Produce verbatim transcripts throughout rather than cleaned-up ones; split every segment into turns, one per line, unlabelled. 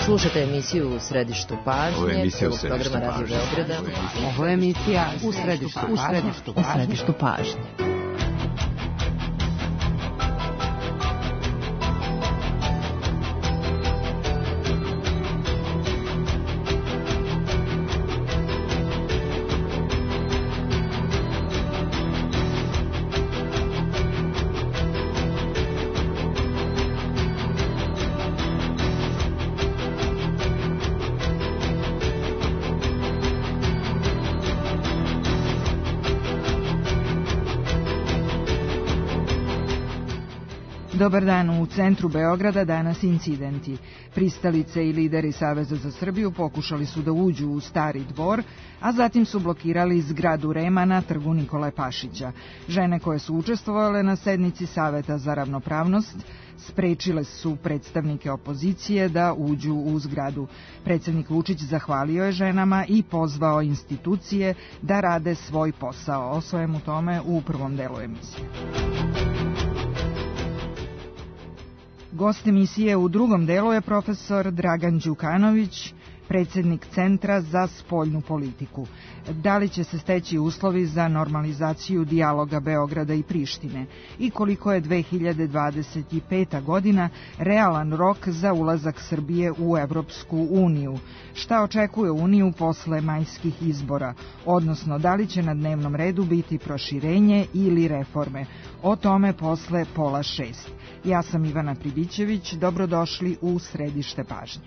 Slušate emisiju U središtu pažnje.
Ovo je emisija U
središtu pažnje. Radio Beograda.
Ovo je emisija U središtu pažnje.
U središtu pažnje.
Dobar dan, u centru Beograda danas incidenti. Pristalice i lideri Saveza za Srbiju pokušali su da uđu u Stari dvor, a zatim su blokirali zgradu Rema na trgu Nikole Pašića. Žene koje su učestvovale na sednici Saveta za ravnopravnost sprečile su predstavnike opozicije da uđu u zgradu. Predsjednik Vučić zahvalio je ženama i pozvao institucije da rade svoj posao. O svemu tome u prvom delu emisije. Gost emisije u drugom delu je profesor Dragan Đukanović, predsjednik Centra za spoljnu politiku. Da li će se steći uslovi za normalizaciju dijaloga Beograda i Prištine i koliko je dve hiljade dvadeset peta. godina realan rok za ulazak Srbije u Evropsku uniju? Šta očekuje Uniju posle majskih izbora, odnosno da li će na dnevnom redu biti proširenje ili reforme? O tome posle pola šest. Ja sam Ivana Pribićević, dobrodošli u središte pažnje.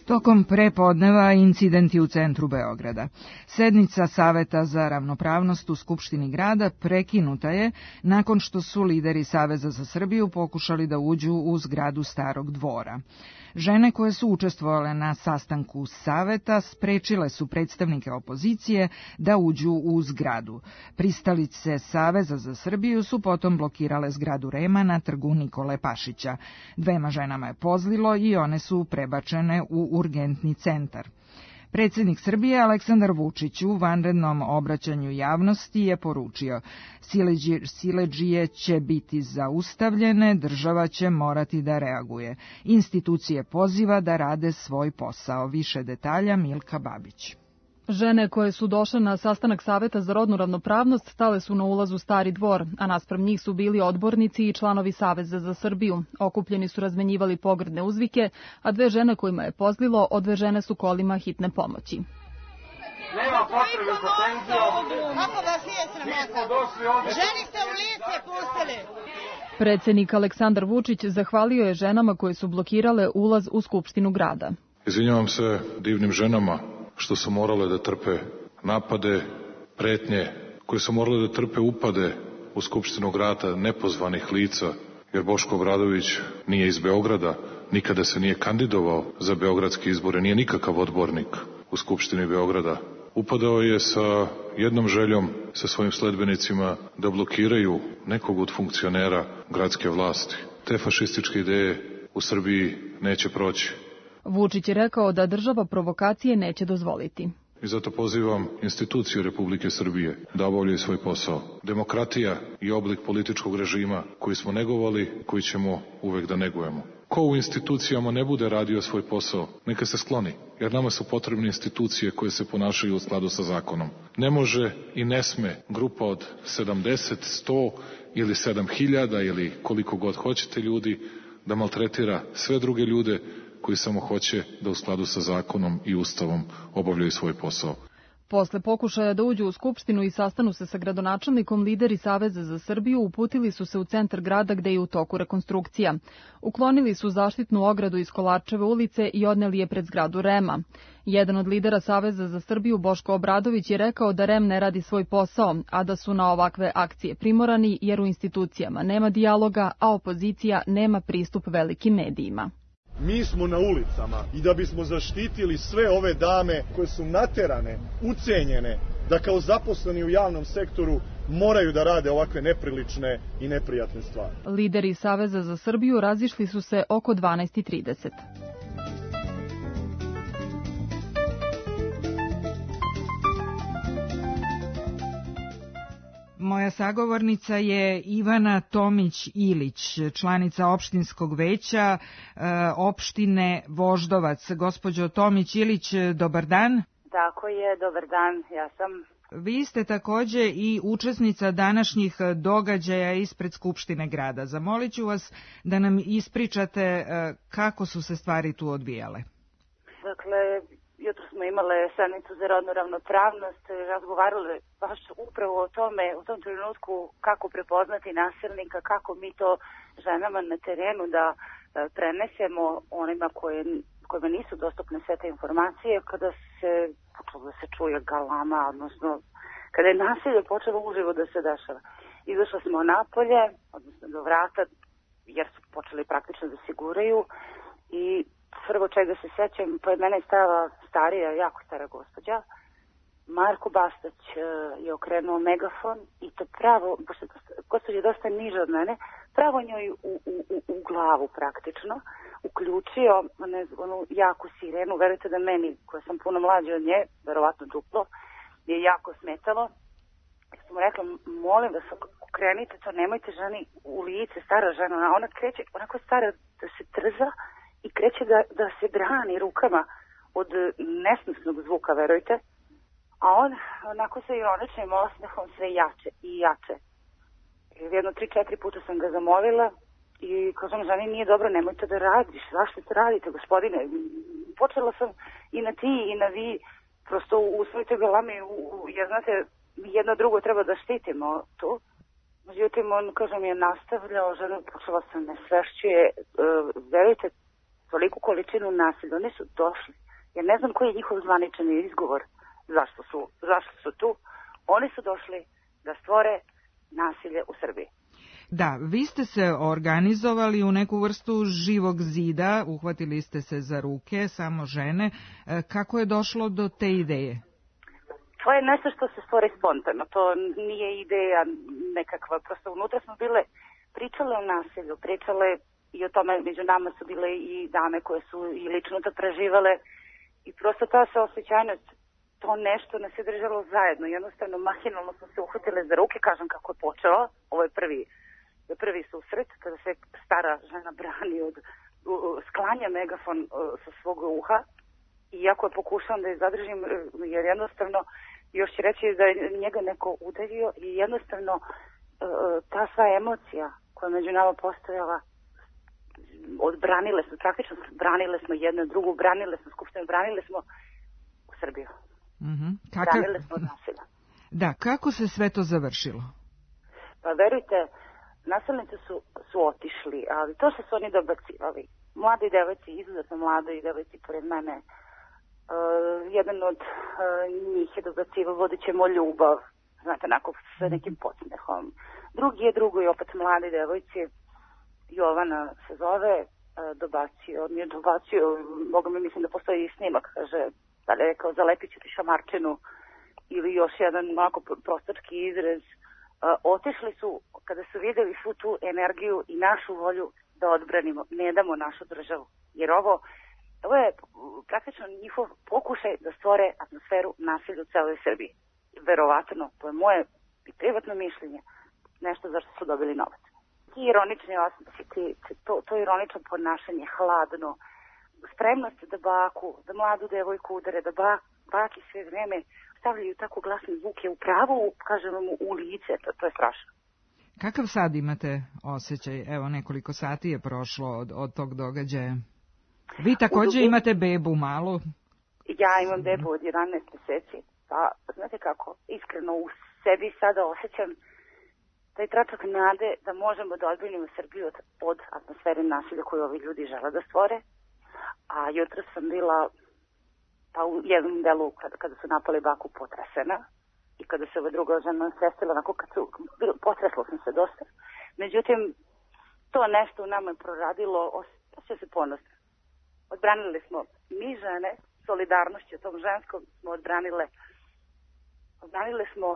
Tokom prepodneva incidenti u centru Beograda. Sednica Saveta za ravnopravnost u Skupštini grada prekinuta je nakon što su lideri Saveza za Srbiju pokušali da uđu u zgradu Starog dvora. Žene koje su učestvovale na sastanku Saveta sprečile su predstavnike opozicije da uđu u zgradu. Pristalice Saveza za Srbiju su potom blokirale zgradu Rema na trgu Nikole Pašića. Dvema ženama je pozlilo i one su prebačene u urgentni centar. Predsjednik Srbije Aleksandar Vučić u vanrednom obraćanju javnosti je poručio: siledžije će biti zaustavljene, država će morati da reaguje. Institucije poziva da rade svoj posao. Više detalja Milka Babić.
Žene koje su došle na sastanak Saveta za rodnu ravnopravnost stale su na ulazu Stari dvor, a naspram njih su bili odbornici i članovi Saveza za Srbiju. Okupljeni su razmenjivali pogrdne uzvike, a dve žene kojima je pozlilo odvežene su kolima hitne pomoći.
Nema potrebe za tenzijom.
Kako vas nije sramota? Ženi ste u lice pustili.
Predsjednik Aleksandar Vučić zahvalio je ženama koje su blokirale ulaz u Skupštinu grada.
Izvinjavam se divnim ženama što su morale da trpe napade, pretnje, koje su morale da trpe upade u Skupštinu grada nepozvanih lica, jer Boško Obradović nije iz Beograda, nikada se nije kandidovao za beogradske izbore, nije nikakav odbornik u Skupštini Beograda. Upadao je sa jednom željom, sa svojim sledbenicima, da blokiraju nekog od funkcionera gradske vlasti. Te fašističke ideje u Srbiji neće proći.
Vučić je rekao da država provokacije neće dozvoliti.
I zato pozivam institucije Republike Srbije da obavljaju svoj posao. Demokratija je oblik političkog režima koji smo negovali, koji ćemo uvek da negujemo. Ko u institucijama ne bude radio svoj posao, neka se skloni, jer nama su potrebne institucije koje se ponašaju u skladu sa zakonom. Ne može i ne sme grupa od sedamdeset, sto ili sedam hiljada ili koliko god hoćete ljudi da maltretira sve druge ljude koji samo hoće da u skladu sa zakonom i ustavom obavljaju svoj posao.
Posle pokušaja da uđu u Skupštinu i sastanu se sa gradonačelnikom, lideri Saveza za Srbiju uputili su se u centar grada gde je u toku rekonstrukcija. Uklonili su zaštitnu ogradu iz Kolarčeve ulice i odneli je pred zgradu Rema. Jedan od lidera Saveza za Srbiju, Boško Obradović, je rekao da Rem ne radi svoj posao, a da su na ovakve akcije primorani jer u institucijama nema dijaloga, a opozicija nema pristup velikim medijima.
Mi smo na ulicama i da bismo zaštitili sve ove dame koje su naterane, ucenjene, da kao zaposleni u javnom sektoru moraju da rade ovakve neprilične i neprijatne stvari.
Lideri Saveza za Srbiju razišli su se oko dvanaest i trideset.
Moja sagovornica je Ivana Tomić-Ilić, članica opštinskog veća e, opštine Voždovac. Gospođo Tomić-Ilić, dobar dan.
Tako je, dobar dan, ja sam.
Vi ste takođe i učesnica današnjih događaja ispred Skupštine grada. Zamolit ću vas da nam ispričate e, kako su se stvari tu odvijale.
Dakle, jutro smo imale sednicu za rodnu ravnopravnost, razgovarali baš upravo o tome, u tom trenutku kako prepoznati nasilnika, kako mi to ženama na terenu da prenesemo onima koje, kojima nisu dostupne sve te informacije, kada se počelo da se čuje galama, odnosno kada je nasilje počelo uživo da se dešava. Izašli smo napolje, odnosno do vrata, jer su počeli praktično da se guraju i prvo čega se sećam, pored mene je stala starija, jako stara gospođa. Marko Bastać je okrenuo megafon i to pravo, pošto gospođa je dosta niža od mene, pravo njoj u, u, u, u glavu praktično, uključio ne, onu jaku sirenu. Verujte da meni, koja sam puno mlađa od nje, verovatno duplo, je jako smetalo. Ja sam mu rekla, molim vas, okrenite to, nemojte ženi u lice, stara žena, ona kreće, onako stara da se trza, i kreće da, da se brani rukama od nesnosnog zvuka, verujte. A on onako sa ironičnim osmehom sve jače i jače. Jedno tri, četiri puta sam ga zamolila i kažem, ženi, nije dobro, nemojte da radiš, zašto to radite, gospodine? Počela sam i na ti i na vi, prosto u svoj toj galami, jer znate, jedno drugo treba da štitimo tu. Međutim, on, kažem, je nastavljao, žena počela sam ne svešćuje, verujte, toliku količinu nasilja. Oni su došli. Ja ne znam koji je njihov zvanični izgovor zašto su, zašto su tu. Oni su došli da stvore nasilje u Srbiji.
Da, vi ste se organizovali u neku vrstu živog zida, uhvatili ste se za ruke, samo žene. Kako je došlo do te ideje?
To je nešto što se stvori spontano. To nije ideja nekakva. Prosto unutra smo bile, pričale o nasilju, pričale i o tome među nama su bile i dame koje su i lično to preživale i prosto ta saosećajnost, to nešto nas je držalo zajedno. Jednostavno, mahinalno smo se uhvatile za ruke, kažem kako je počelo. Ovo je prvi, prvi susret kada se stara žena brani od sklanja megafon sa svog uha i jako je pokušavam da je zadržim, jer jednostavno još će reći da je njega neko udario i jednostavno ta sva emocija koja među nama postojala, odbranile smo, praktično branile smo jedno drugu, branile smo Skupštinu, branile smo u Srbiju.
Mm-hmm. Kaka...
Branile smo od nasilja.
Da, kako se sve to završilo?
Pa verujte, nasilnici su, su otišli, ali to što su oni dobacivali, mladi devojci, izuzetno mladi devojci pored mene, uh, jedan od uh, njih je dobacivao, vodit ćemo ljubav, znate, onako sa nekim podsmehom. Drugi je drugo i opet mladi devojci, Jovana se zove, dobacio, on je dobacio, mogu mi mislim da postoji i snimak, kaže, da li je rekao, zalepit ću ti šamarčinu, ili još jedan onako prostački izraz. Otišli su, kada su videli svu tu energiju i našu volju da odbranimo, ne damo našu državu, jer ovo, ovo je praktično njihov pokušaj da stvore atmosferu nasilja u celoj Srbiji. Verovatno, to je moje privatno mišljenje, nešto zašto su dobili novac. Ti ironični osmesi, to, to ironično ponašanje, hladno, spremnost da baku, da mladu devojku udare, da bak, baki sve vreme stavljaju tako glasne zvuke u pravu, kažemo mu, u lice, to, to je strašno.
Kakav sad imate osjećaj? Evo, nekoliko sati je prošlo od, od tog događaja. Vi također u... imate bebu malu?
Ja imam bebu od jedanaest meseci, pa znate kako, iskreno u sebi sada osjećam taj tračak nade da možemo da odbrinimo Srbiju od, od atmosfere nasilja koju ovi ljudi žele da stvore. A jutro sam bila pa u jednom delu kada, kada su napali baku potresena i kada se ova druga žena sestila, onako kad su, potresla sam se dosta. Međutim, to nešto u nama je proradilo, osjeća se ponosno. odbranili smo mi žene, solidarnošću tom ženskom smo odbranile, odbranile smo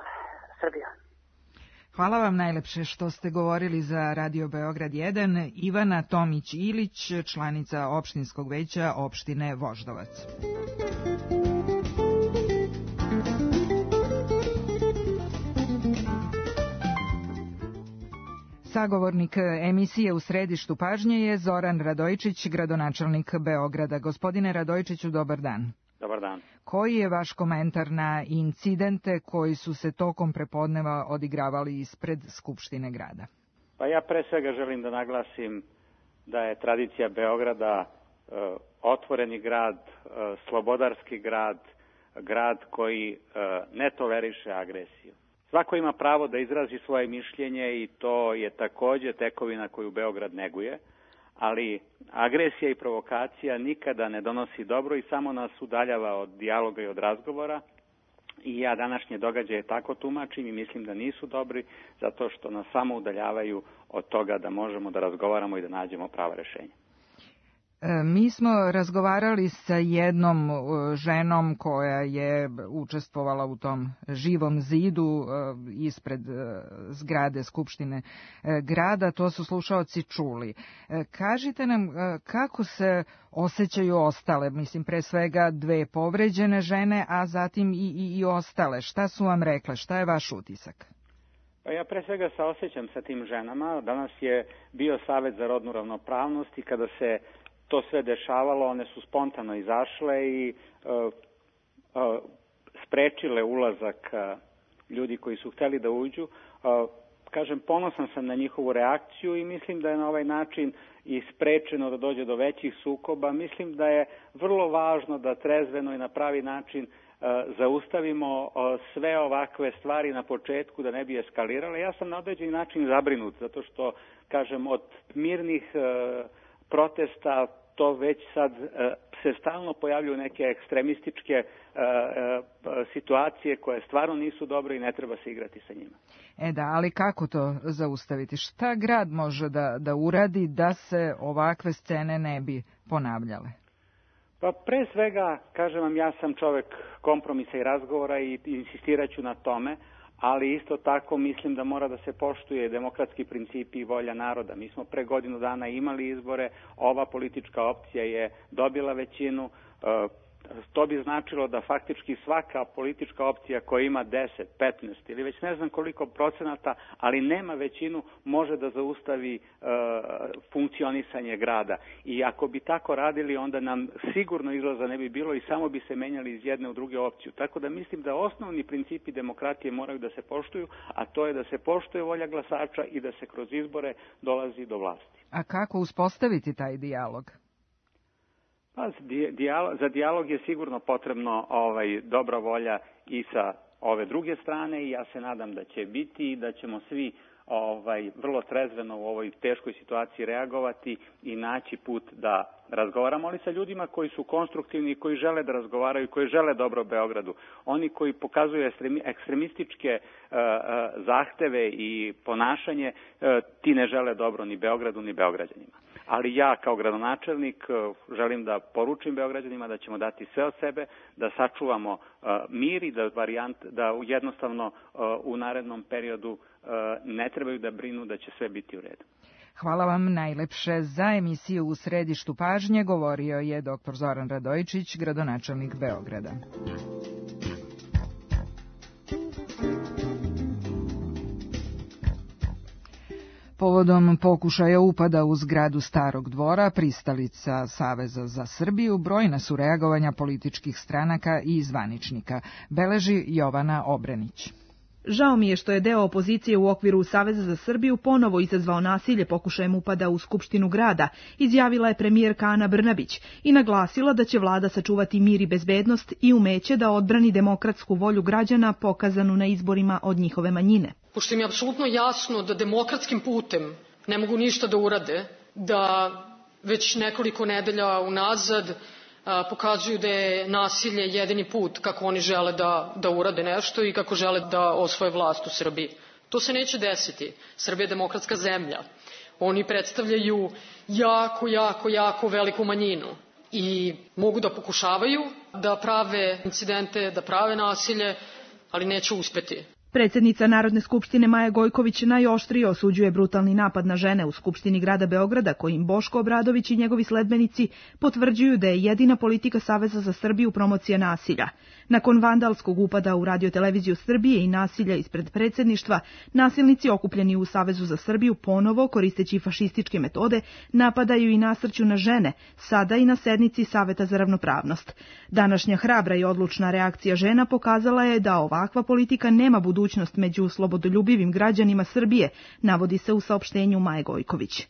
Srbiju.
Hvala vam najlepše što ste govorili za Radio Beograd jedan. Ivana Tomić-Ilić, članica opštinskog veća opštine Voždovac. Sagovornik emisije U središtu pažnje je Zoran Radojčić, gradonačelnik Beograda. Gospodine Radojčiću, dobar dan.
Dobar dan.
Koji je vaš komentar na incidente koji su se tokom prepodneva odigravali ispred Skupštine grada?
Pa ja pre svega želim da naglasim da je tradicija Beograda e, otvoreni grad, e, slobodarski grad, grad koji e, ne toleriše agresiju. Svako ima pravo da izrazi svoje mišljenje i to je takođe tekovina koju Beograd neguje, ali agresija i provokacija nikada ne donosi dobro i samo nas udaljava od dijaloga i od razgovora. I ja današnje događaje tako tumačim i mislim da nisu dobri zato što nas samo udaljavaju od toga da možemo da razgovaramo i da nađemo prava rešenja.
Mi smo razgovarali sa jednom ženom koja je učestvovala u tom živom zidu ispred zgrade Skupštine grada. To su slušaoci čuli. Kažite nam kako se osjećaju ostale, mislim pre svega dve povređene žene, a zatim i, i, i ostale. Šta su vam rekle? Šta je vaš utisak?
Pa ja pre svega saosećam sa tim ženama. Danas je bio Savet za rodnu ravnopravnost i kada se to sve dešavalo, one su spontano izašle i uh, uh, sprečile ulazak uh, ljudi koji su hteli da uđu. Uh, kažem, ponosan sam na njihovu reakciju i mislim da je na ovaj način i sprečeno da dođe do većih sukoba. Mislim da je vrlo važno da trezveno i na pravi način uh, zaustavimo uh, sve ovakve stvari na početku da ne bi eskalirale. Ja sam na određeni način zabrinut zato što, kažem, od mirnih uh, protesta, to već sad uh, se stalno pojavljuju neke ekstremističke uh, uh, situacije koje stvarno nisu dobre i ne treba se igrati sa njima.
E da, ali kako to zaustaviti? Šta grad može da, da uradi da se ovakve scene ne bi ponavljale?
Pa pre svega, kažem vam, ja sam čovek kompromisa i razgovora i insistirat ću na tome, ali isto tako mislim da mora da se poštuje demokratski principi i volja naroda. Mi smo pre godinu dana imali izbore, ova politička opcija je dobila većinu, to bi značilo da faktički svaka politička opcija koja ima deset, petnaest ili već ne znam koliko procenata, ali nema većinu, može da zaustavi e, funkcionisanje grada. I ako bi tako radili, onda nam sigurno izlaza ne bi bilo i samo bi se menjali iz jedne u druge opciju. Tako da mislim da osnovni principi demokratije moraju da se poštuju, a to je da se poštuje volja glasača i da se kroz izbore dolazi do vlasti.
A kako uspostaviti taj dijalog?
Pa, za dijalog je sigurno potrebno ovaj, dobra volja i sa ove druge strane i ja se nadam da će biti i da ćemo svi ovaj, vrlo trezveno u ovoj teškoj situaciji reagovati i naći put da razgovaramo, ali sa ljudima koji su konstruktivni, koji žele da razgovaraju, koji žele dobro Beogradu. Oni koji pokazuju ekstremističke uh, uh, zahteve i ponašanje, uh, ti ne žele dobro ni Beogradu ni Beograđanima. Ali ja kao gradonačelnik želim da poručim Beograđanima da ćemo dati sve od sebe, da sačuvamo uh, mir i da, varijant, da jednostavno uh, u narednom periodu uh, ne trebaju da brinu da će sve biti u redu.
Hvala vam najlepše. Za emisiju U središtu pažnje govorio je doktor Zoran Radojčić, gradonačelnik Beograda. Povodom pokušaja upada u zgradu Starog dvora, pristalica Saveza za Srbiju, brojna su reagovanja političkih stranaka i zvaničnika, beleži Jovana Obrenić.
Žao mi je što je deo opozicije u okviru Saveza za Srbiju ponovo izazvao nasilje pokušajem upada u Skupštinu grada, izjavila je premijerka Ana Brnabić i naglasila da će vlada sačuvati mir i bezbednost i umeće da odbrani demokratsku volju građana pokazanu na izborima od njihove manjine.
Pošto im je apsolutno jasno da demokratskim putem ne mogu ništa da urade, da već nekoliko nedelja unazad pokazuju da je nasilje jedini put kako oni žele da, da urade nešto i kako žele da osvoje vlast u Srbiji. To se neće desiti. Srbija je demokratska zemlja. Oni predstavljaju jako, jako, jako veliku manjinu. i mogu da pokušavaju da prave incidente, da prave nasilje, ali neće uspeti.
Predsjednica Narodne skupštine Maja Gojković najoštrije osuđuje brutalni napad na žene u Skupštini grada Beograda, kojim Boško Obradović i njegovi sledbenici potvrđuju da je jedina politika Saveza za Srbiju promocija nasilja. Nakon vandalskog upada u radioteleviziju Srbije i nasilja ispred predsjedništva, nasilnici okupljeni u Savezu za Srbiju ponovo, koristeći fašističke metode, napadaju i nasrću na žene, sada i na sednici Saveta za ravnopravnost. Današnja hrabra i odlučna reakcija žena pokazala je da ovakva politika nema budućnost među slobodoljubivim građanima Srbije, navodi se u saopštenju Maje Gojković.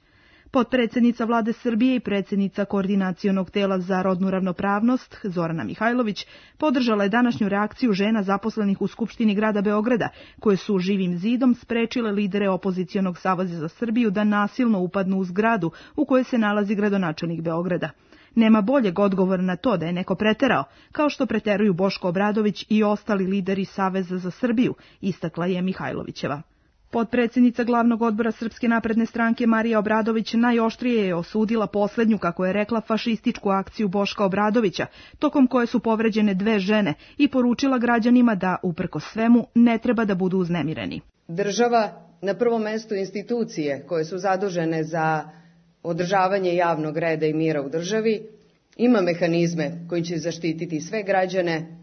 Potpredsjednica Vlade Srbije i predsjednica Koordinacionog tela za rodnu ravnopravnost, Zorana Mihajlović, podržala je današnju reakciju žena zaposlenih u Skupštini grada Beograda, koje su živim zidom sprečile lidere opozicionog Saveza za Srbiju da nasilno upadnu u zgradu u kojoj se nalazi gradonačelnik Beograda. Nema boljeg odgovora na to da je neko preterao, kao što preteruju Boško Obradović i ostali lideri Saveza za Srbiju, istakla je Mihajlovićeva. Potpredsjednica glavnog odbora Srpske napredne stranke Marija Obradović najoštrije je osudila posljednju, kako je rekla, fašističku akciju Boška Obradovića, tokom koje su povređene dve žene, i poručila građanima da, uprkos svemu, ne treba da budu uznemireni.
Država, na prvom mestu institucije koje su zadužene za održavanje javnog reda i mira u državi, ima mehanizme koji će zaštititi sve građane,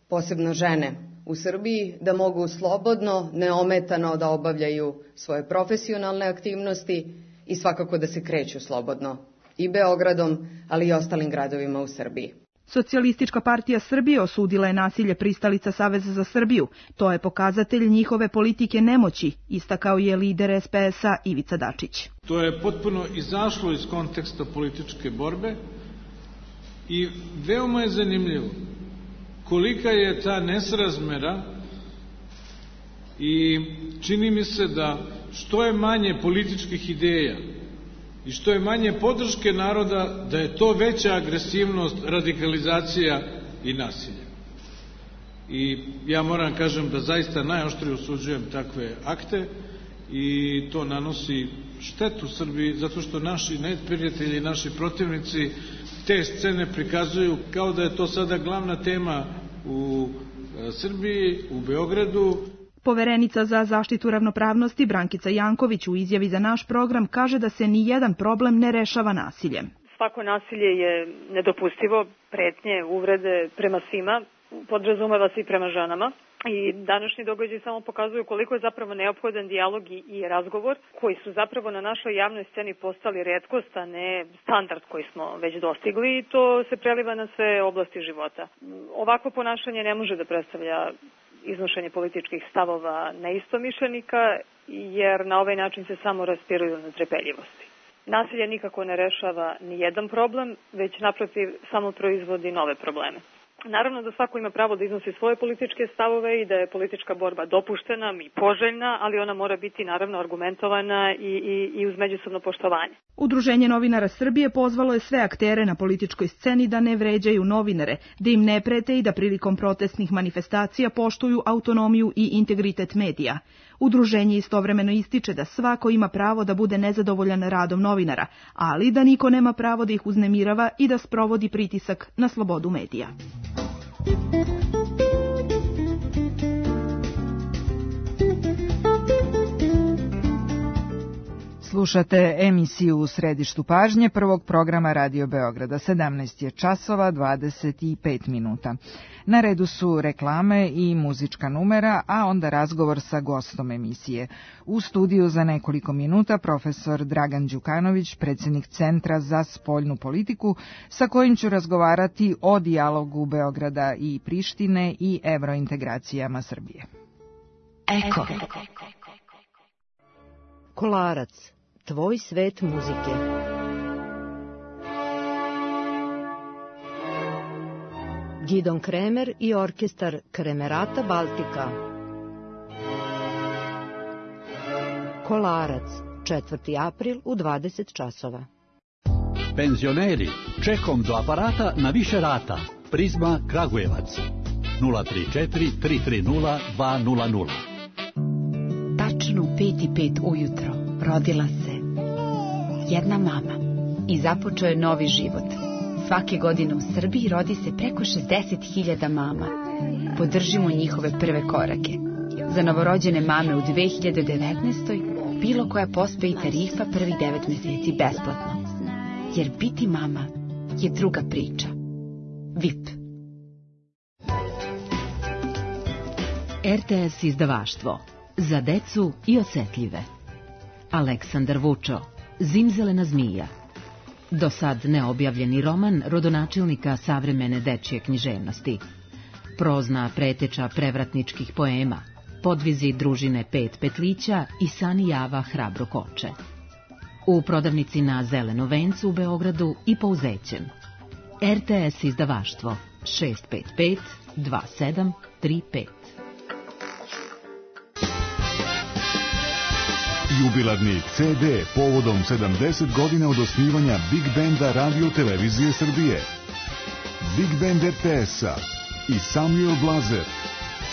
posebno žene u Srbiji, da mogu slobodno, neometano da obavljaju svoje profesionalne aktivnosti i svakako da se kreću slobodno i Beogradom, ali i ostalim gradovima u Srbiji.
Socijalistička partija Srbije osudila je nasilje pristalica Saveza za Srbiju. To je pokazatelj njihove politike nemoći, istakao je lider es pe es-a Ivica Dačić.
To je potpuno izašlo iz konteksta političke borbe i veoma je zanimljivo kolika je ta nesrazmera i čini mi se da što je manje političkih ideja i što je manje podrške naroda, da je to veća agresivnost, radikalizacija i nasilje. I ja moram kažem da zaista najoštrije osuđujem takve akte i to nanosi štetu Srbiji, zato što naši neprijatelji, naši protivnici te scene prikazuju kao da je to sada glavna tema u Srbiji, u Beogradu.
Poverenica za zaštitu ravnopravnosti Brankica Janković u izjavi za naš program kaže da se ni jedan problem ne rešava nasiljem.
Svako nasilje je nedopustivo, pretnje, uvrede prema svima, podrazumeva se i prema ženama. I današnji događaj samo pokazuju koliko je zapravo neophodan dijalog i, i razgovor, koji su zapravo na našoj javnoj sceni postali retkost, a ne standard koji smo već dostigli, i to se preliva na sve oblasti života. Ovakvo ponašanje ne može da predstavlja iznošenje političkih stavova neistomišljenika, jer na ovaj način se samo raspiruju netrpeljivosti. Nasilje nikako ne rešava ni jedan problem, već naprotiv samo proizvodi nove probleme. Naravno da svako ima pravo da iznosi svoje političke stavove i da je politička borba dopuštena i poželjna, ali ona mora biti naravno argumentovana i, i, i uz međusobno poštovanje.
Udruženje novinara Srbije pozvalo je sve aktere na političkoj sceni da ne vređaju novinare, da im ne prete i da prilikom protestnih manifestacija poštuju autonomiju i integritet medija. Udruženje istovremeno ističe da svako ima pravo da bude nezadovoljan radom novinara, ali da niko nema pravo da ih uznemirava i da sprovodi pritisak na slobodu medija.
Slušate emisiju U središtu pažnje prvog programa Radio Beograda. sedamnaest je časova dvadeset pet minuta. Na redu su reklame i muzička numera, a onda razgovor sa gostom emisije. U studiju za nekoliko minuta profesor Dragan Đukanović, predsjednik Centra za spoljnu politiku, sa kojim ću razgovarati o dijalogu Beograda i Prištine i evrointegracijama Srbije.
Eko. Kolarac, tvoj svet muzike. Gidon Kremer i orkestar Kremerata Baltika. Kolarac, četvrti april u dvadeset časova.
Penzioneri, čekom do aparata na više rata. Prizma Kragujevac. nula tri četiri tri tri nula dva nula nula.
Tačno u pet i pet ujutro rodila se jedna mama i započeo je novi život. Svake godine u Srbiji rodi se preko šezdeset hiljada mama. Podržimo njihove prve korake. Za novorođene mame u dve hiljade devetnaestoj bilo koja pospe i tarifa prvih devet meseci besplatno. Jer biti mama je druga priča. V I P.
R T S izdavaštvo. Za decu i osetljive. Aleksandar Vučo. Zimzelena zmija. Do sad neobjavljeni roman rodonačelnika savremene dečje književnosti. Prozna preteča prevratničkih poema. Podvizi družine Pet petlića i Sani Java Hrabro koče. U prodavnici na Zeleno vencu u Beogradu i Pouzećem. R T S izdavaštvo šest pet pet dva sedam tri pet.
Jubilarni C D povodom sedamdeset godina od osnivanja Big Banda Radio Televizije Srbije. Big Band R T S-a i Samuel Blazer.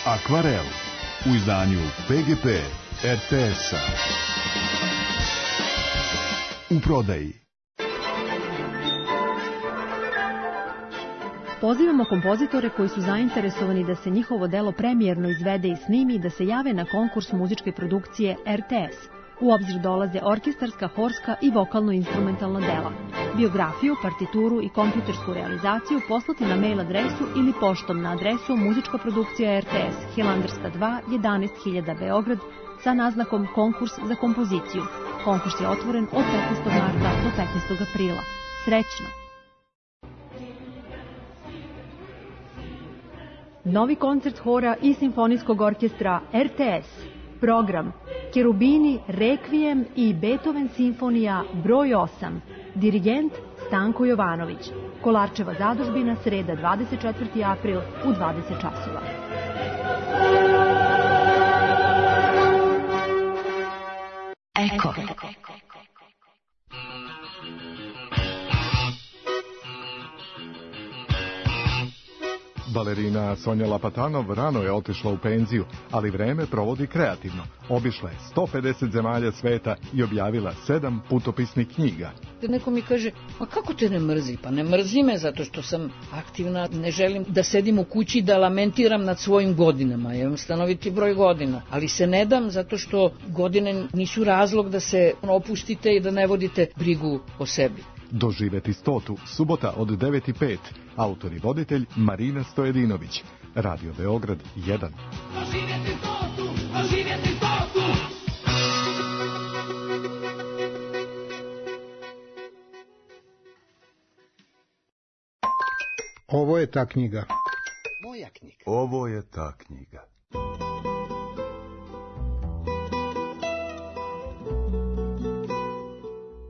Akvarel u izdanju P G P R T S-a. U prodaji.
Pozivamo kompozitore koji su zainteresovani da se njihovo delo premijerno izvede i snimi da se jave na konkurs muzičke produkcije R T S. U obzir dolaze orkestarska, horska i vokalno-instrumentalna dela. Biografiju, partituru i kompjutersku realizaciju poslati na mail adresu ili poštom na adresu muzička produkcija R T S, Hilandarska dva, jedanaest hiljada Beograd, sa naznakom konkurs za kompoziciju. Konkurs je otvoren od petnaestog marta do petnaestog aprila. Srećno! Novi koncert hora i simfonijskog orkestra R T S. Program Kerubini, Rekvijem i Beethoven simfonija broj osam. Dirigent Stanko Jovanović. Kolarčeva zadužbina, sreda dvadeset četvrti april u dvadeset časova.
Eko.
Balerina Sonja Lapatanov rano je otišla u penziju, ali vreme provodi kreativno. Obišla je sto pedeset zemalja sveta i objavila sedam putopisnih knjiga.
Neko mi kaže, a kako te ne mrzi? Pa ne mrzi me zato što sam aktivna, ne želim da sedim u kući da lamentiram nad svojim godinama. Ja imam stanoviti broj godina, ali se ne dam zato što godine nisu razlog da se opustite i da ne vodite brigu o sebi.
Doživeti stotu, subota od devet i pet. Autor i voditelj Marina Stojedinović. Radio Beograd jedan.
Doživjeti stotu, doživjeti stotu.
Ovo je ta knjiga.
Moja knjiga.
Ovo je ta knjiga.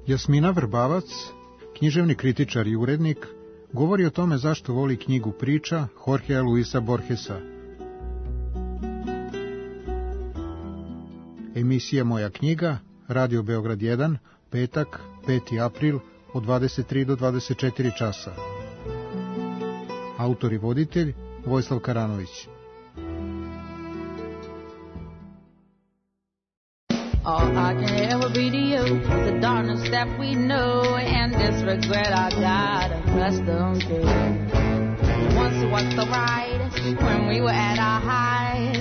Jasmina Vrbavac, književni kritičar i urednik, govori o tome zašto voli knjigu priča Jorgea Luisa Borgesa. Emisija Moja knjiga, Radio Beograd jedan, petak, peti april, od dvadeset tri do dvadeset četiri časa. Autor i voditelj Vojislav Karanović.
All I can ever be to you, the darkness that we know, and this regret I got accustomed to. Once was the ride, when we were at our height,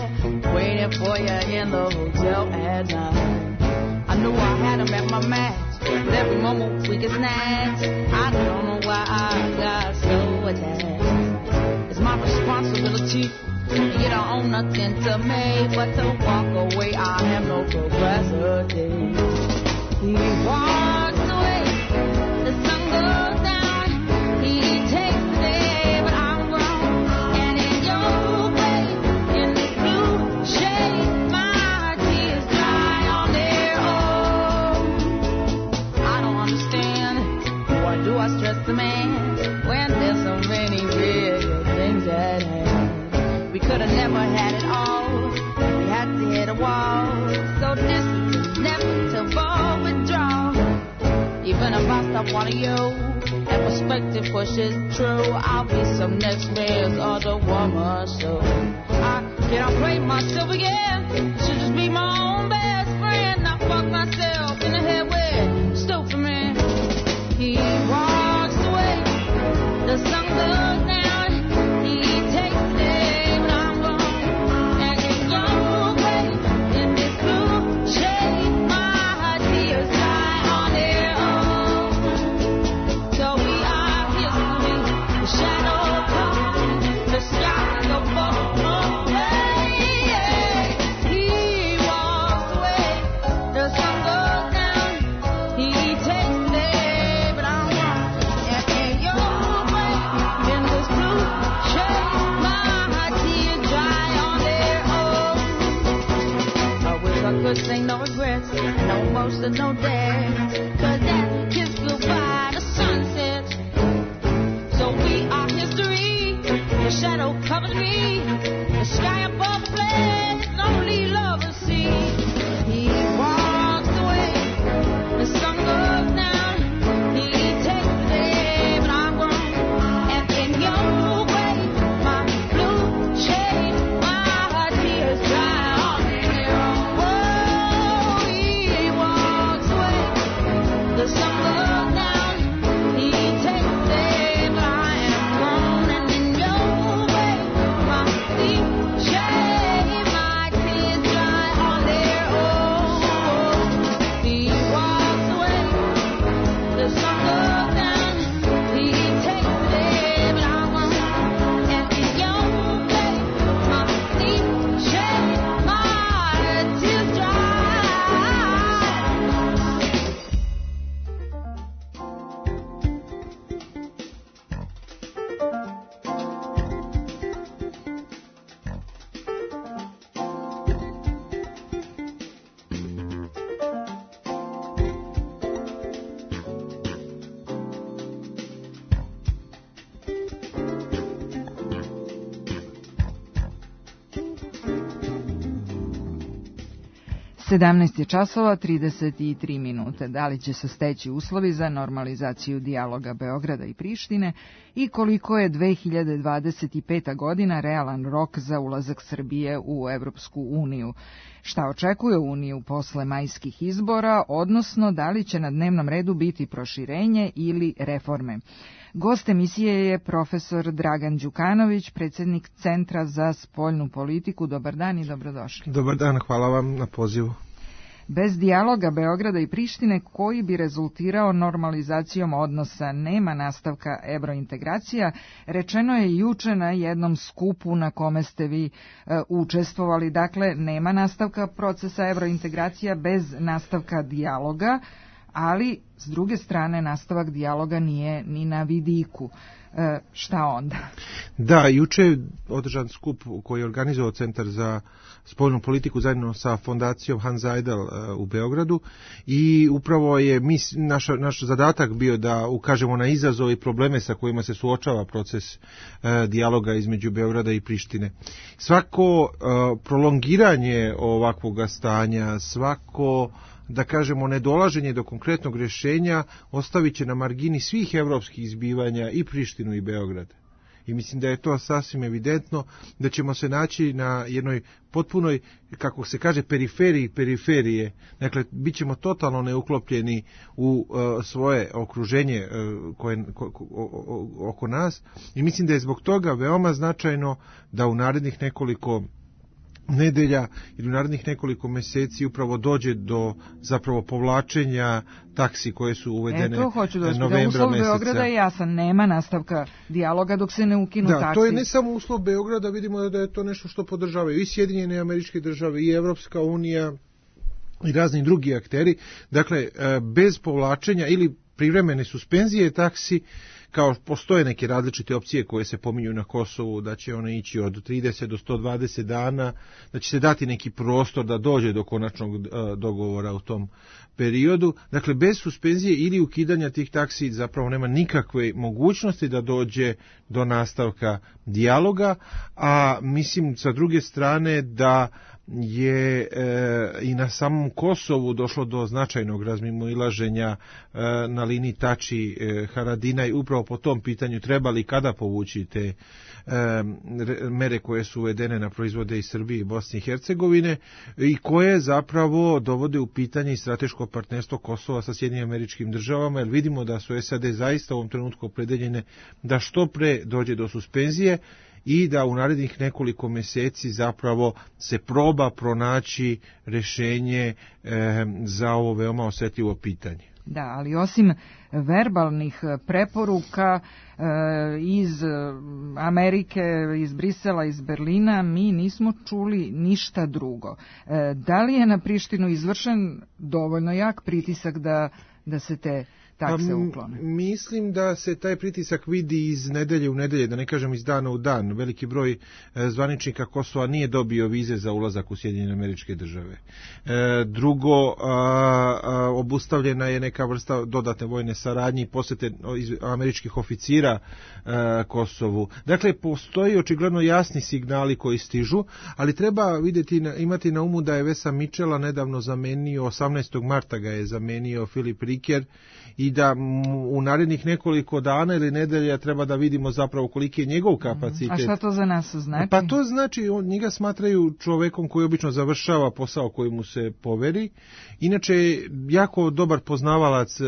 waiting for you in the hotel at night. I knew I had him at my match, but every moment we get snatched. I don't know why I got so attached. It's my responsibility. You don't own nothing to me, but to walk away, I have no capacity. He walks away, the sun goes down, he takes the day, but I'm wrong. And in your way, in this blue shade, my tears dry on their own. I don't understand, why do I stress the man, when there's so many bigger things at hand. We could have never had it all. We had to hit a wall. So this is inevitable withdrawal. Even if I stop wanting you, and perspective pushes true, I'll be some next man's other woman. So I can't play myself again. Should just be my own best friend. Not fuck myself in the head with stupid man. He walks away.
sedamnaest je časova, trideset tri minute. Da li će se steći uslovi za normalizaciju dijaloga Beograda i Prištine i koliko je dve hiljade dvadeset peta godina realan rok za ulazak Srbije u Evropsku uniju? Šta očekuje Uniju posle majskih izbora, odnosno da li će na dnevnom redu biti proširenje ili reforme? Gost emisije je profesor Dragan Đukanović, predsjednik Centra za spoljnu politiku. Dobar dan i dobrodošli.
Dobar dan, hvala vam na pozivu.
Bez dijaloga Beograda i Prištine, koji bi rezultirao normalizacijom odnosa, nema nastavka evrointegracija, rečeno je juče na jednom skupu na kome ste vi e, učestvovali. Dakle, nema nastavka procesa evrointegracija bez nastavka dijaloga, ali s druge strane nastavak dijaloga nije ni na vidiku. E, šta onda?
Da, juče je održan skup koji je organizovao Centar za spoljnu politiku zajedno sa fondacijom Hans Seidel u Beogradu i upravo je mis, naš, naš zadatak bio da ukažemo na izazove i probleme sa kojima se suočava proces e, dijaloga između Beograda i Prištine. Svako e, prolongiranje ovakvog stanja, svako da kažemo nedolaženje do konkretnog rješenja ostavit će na margini svih evropskih izbivanja i Prištinu i Beograd. I mislim da je to sasvim evidentno da ćemo se naći na jednoj potpunoj, kako se kaže, periferiji periferije. Dakle, bit ćemo totalno neuklopljeni u uh, svoje okruženje uh, koje, ko, ko, o, oko nas. I mislim da je zbog toga veoma značajno da u narednih nekoliko nedelja ili u narednih nekoliko mjeseci upravo dođe do zapravo povlačenja taksi koje su uvedene
e, to hoću da
novembra
uslov
meseca.
Beograda je jasan, nema nastavka dijaloga dok se ne ukinu
da,
taksi.
Da, to je ne samo uslov Beograda, vidimo da je to nešto što podržavaju i Sjedinjene Američke Države i Evropska unija i razni drugi akteri. Dakle, bez povlačenja ili privremene suspenzije taksi, kao postoje neke različite opcije koje se pominju na Kosovu, da će one ići od trideset do sto dvadeset dana, da će se dati neki prostor da dođe do konačnog uh, dogovora u tom periodu. Dakle, bez suspenzije ili ukidanja tih taksi zapravo nema nikakve mogućnosti da dođe do nastavka dijaloga, a mislim sa druge strane da je e, i na samom Kosovu došlo do značajnog razmimoilaženja e, na liniji Tači e, Haradinaj upravo po tom pitanju treba li kada povući te e, mere koje su uvedene na proizvode iz Srbije i Bosne i Hercegovine i koje zapravo dovode u pitanje i strateško partnerstvo Kosova sa Sjedinjenim Američkim Državama, jer vidimo da su S A D zaista u ovom trenutku opredeljene da što pre dođe do suspenzije i da u narednih nekoliko mjeseci zapravo se proba pronaći rješenje e, za ovo veoma osjetljivo pitanje.
Da, ali osim verbalnih preporuka e, iz Amerike, iz Brisela, iz Berlina, mi nismo čuli ništa drugo. E, da li je na Prištinu izvršen dovoljno jak pritisak da, da se te takse uklone?
Mislim da se taj pritisak vidi iz nedelje u nedelje, da ne kažem iz dana u dan. Veliki broj e, zvaničnika Kosova nije dobio vize za ulazak u Sjedinjene Američke Države. E, drugo, a, a, obustavljena je neka vrsta dodatne vojne saradnje i posjete američkih oficira a, Kosovu. Dakle, postoji očigledno jasni signali koji stižu, ali treba vidjeti, imati na umu da je Vesa Mičela nedavno zamenio, osamnaestog marta ga je zamenio Filip Riker, i da u narednih nekoliko dana ili nedelja treba da vidimo zapravo koliki je njegov kapacitet.
A šta to za nas znači?
Pa to znači, on, njega smatraju čovekom koji obično završava posao koji mu se poveri. Inače je jako dobar poznavalac e,